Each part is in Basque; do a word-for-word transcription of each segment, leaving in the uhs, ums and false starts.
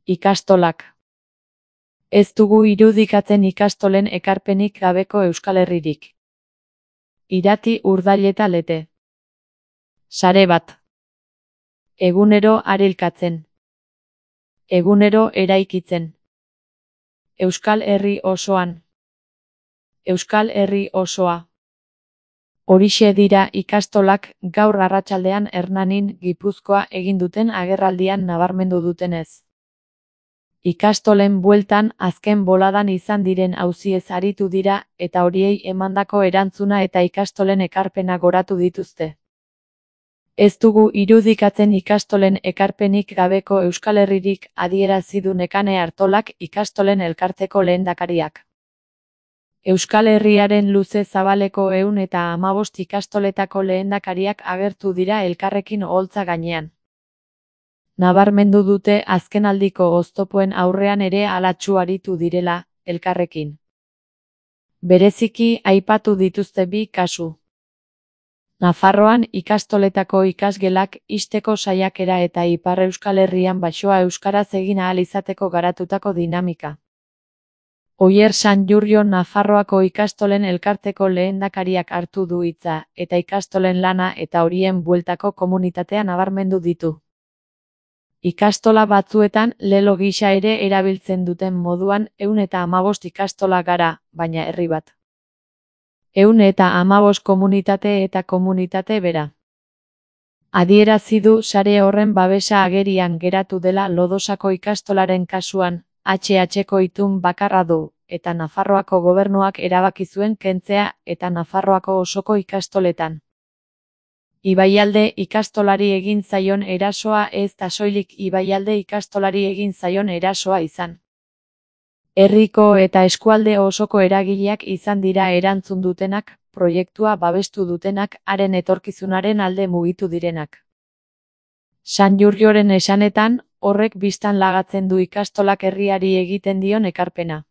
Ikastolak. Ez dugu irudikatzen ikastolen ekarpenik gabeko Euskal Herririk. Irati Urdaileta Lete. Sare bat. Egunero arilkatzen. Egunero eraikitzen. Euskal Herri osoan. Euskal Herri osoa. Horixe dira ikastolak gaur arratsaldean Hernanin, Gipuzkoa egin duten agerraldian nabarmendu dutenez. Ikastolen bueltan azken boladan izan diren auziez aritu dira eta horiei emandako erantzuna eta ikastolen ekarpena goratu dituzte. Ez dugu irudikatzen ikastolen ekarpenik gabeko Euskal Herririk, adierazi du Nekane Artolak, ikastolen elkarteko lehendakariak. Euskal Herriaren luze zabaleko ehun eta hamabost ikastoletako lehendakariak agertu dira elkarrekin oholtza gainean. Nabarmendu dute azkenaldiko oztopoen aurrean ere halatsu aritu direla, elkarrekin. Bereziki aipatu dituzte bi kasu. Nafarroan ikastoletako ikasgelak ixteko saiakera eta Ipar Euskal Herrian baxoa euskaraz egin ahal izateko garatutako dinamika. Oier Sanjurjo Nafarroako ikastolen elkarteko lehendakariak hartu du hitza, eta ikastolen lana eta horien bueltako komunitatea nabarmendu ditu. Ikastola batzuetan lelo gisa ere erabiltzen duten moduan ehun eta hamabost ikastola gara, baina herri bat. Ehun eta hamabost komunitate eta komunitate bera. Adierazi du sare horren babesa agerian geratu dela Lodosako ikastolaren kasuan, H H-ko itun bakarra du, eta Nafarroako gobernuak erabaki zuen kentzea eta Nafarroako osoko ikastoletan. Ibaialde ikastolari egin zaion erasoa ez da soilik Ibaialde ikastolari egin zaion erasoa izan. Herriko eta eskualde osoko eragileak izan dira erantzun dutenak, proiektua babestu dutenak, haren etorkizunaren alde mugitu direnak. Sanjurjoren esanetan, horrek bistan lagatzen du ikastolak herriari egiten dion ekarpena.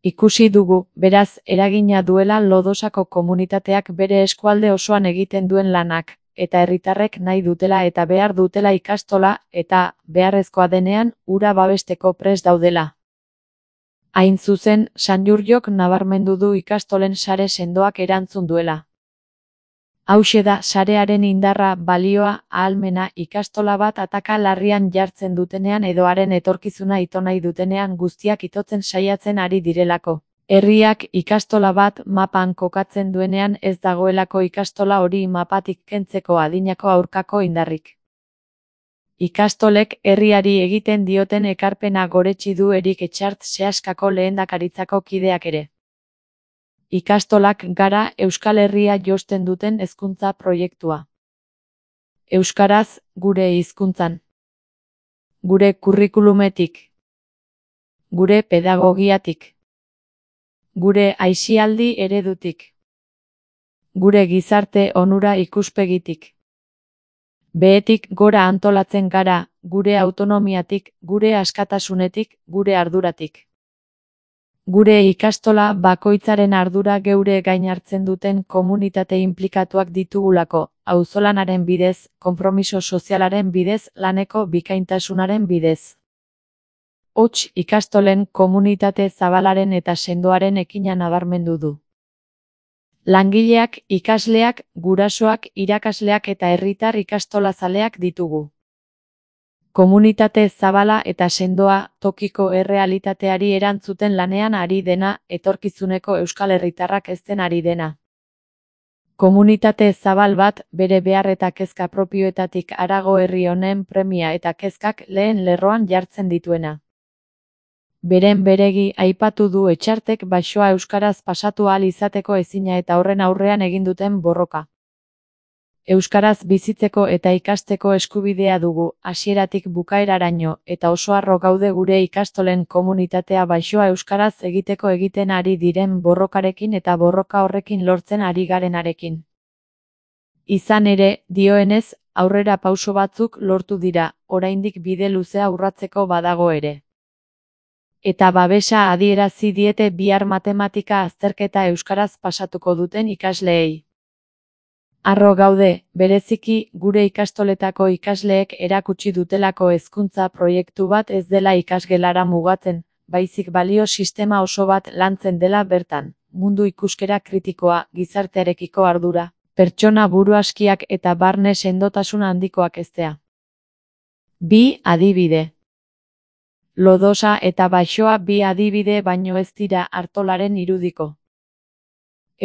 Ikusi dugu, beraz, eragina duela Lodosako komunitateak bere eskualde osoan egiten duen lanak, eta herritarrek nahi dutela eta behar dutela ikastola, eta, beharrezkoa denean, hura babesteko prest daudela. Hain zuzen, Sanjurjok nabarmendu du ikastolen sare sendoak erantzun duela. Hauxe da sarearen indarra, balioa, ahalmena, ikastola bat ataka larrian jartzen dutenean edo haren etorkizuna ito nahi dutenean guztiak itotzen saiatzen ari direlako. Herriak ikastola bat mapan kokatzen duenean ez dagoelako ikastola hori mapatik kentzeko adinako aurkako indarrik. Ikastolek herriari egiten dioten ekarpena goretsi du Erik Etxart Seaskako lehendakaritzako kideak ere. Ikastolak gara Euskal Herria josten duten hezkuntza proiektua. Euskaraz, gure hizkuntzan. Gure kurrikulumetik. Gure pedagogiatik. Gure aisialdi eredutik. Gure gizarte onura ikuspegitik. Behetik gora antolatzen gara, gure autonomiatik, gure askatasunetik, gure arduratik. Gure ikastola bakoitzaren ardura geure gain hartzen duten komunitate inplikatuak ditugulako, auzolanaren bidez, konpromiso sozialaren bidez, laneko bikaintasunaren bidez. Hots ikastolen komunitate zabalaren eta sendoaren ekina nabarmendu du. Langileak, ikasleak, gurasoak, irakasleak eta herritar ikastolazaleak ditugu. Komunitate zabala eta sendoa, tokiko errealitateari erantzuten lanean ari dena, etorkizuneko euskal herritarrak ezten ari dena. Komunitate zabal bat, bere behar eta kezka propioetatik harago herri honen premia eta kezkak lehen lerroan jartzen dituena. Beren beregi aipatu du Etxartek baxoa euskaraz pasatu ahal izateko ezina eta horren aurrean egin duten borroka. Euskaraz bizitzeko eta ikasteko eskubidea dugu, hasieratik bukaeraraino, eta oso harro gaude gure ikastolen komunitatea baxoa euskaraz egiteko egiten ari diren borrokarekin eta borroka horrekin lortzen ari garenarekin. Izan ere, dioenez, aurrera pauso batzuk lortu dira, oraindik bide luzea urratzeko badago ere. Eta babesa adierazi diete bihar matematika azterketa euskaraz pasatuko duten ikasleei. Harro gaude, bereziki, gure ikastoletako ikasleek erakutsi dutelako hezkuntza proiektu bat ez dela ikasgelara mugatzen, baizik balio sistema oso bat lantzen dela bertan, mundu ikuskera kritikoa, gizartearekiko ardura, pertsona buruaskiak eta barne sendotasun handikoak heztea. Bi adibide. Lodosa eta Baixoa bi adibide baino ez dira Artolaren irudiko.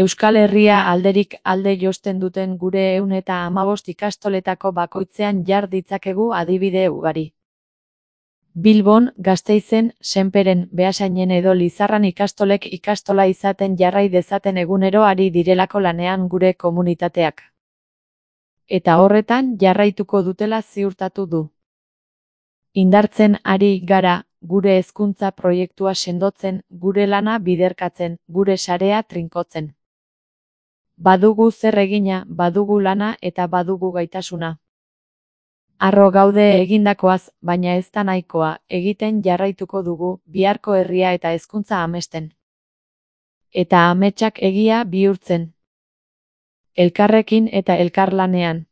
Euskal Herria alderik alde josten duten gure ehun eta hamabost ikastoletako bakoitzean jar ditzakegu adibide ugari. Bilbon, Gasteizen, Senperen, Beasainen edo Lizarran ikastolek ikastola izaten jarrai dezaten egunero ari direlako lanean gure komunitateak. Eta horretan jarraituko dutela ziurtatu du. Indartzen ari gara, gure hezkuntza proiektua sendotzen, gure lana biderkatzen, gure sarea trinkotzen. Badugu zer egina, badugu lana eta badugu gaitasuna. Harro gaude egindakoaz, baina ez da nahikoa, egiten jarraituko dugu, biharko herria eta hezkuntza amesten. Eta ametsak egia bihurtzen. Elkarrekin eta elkarlanean.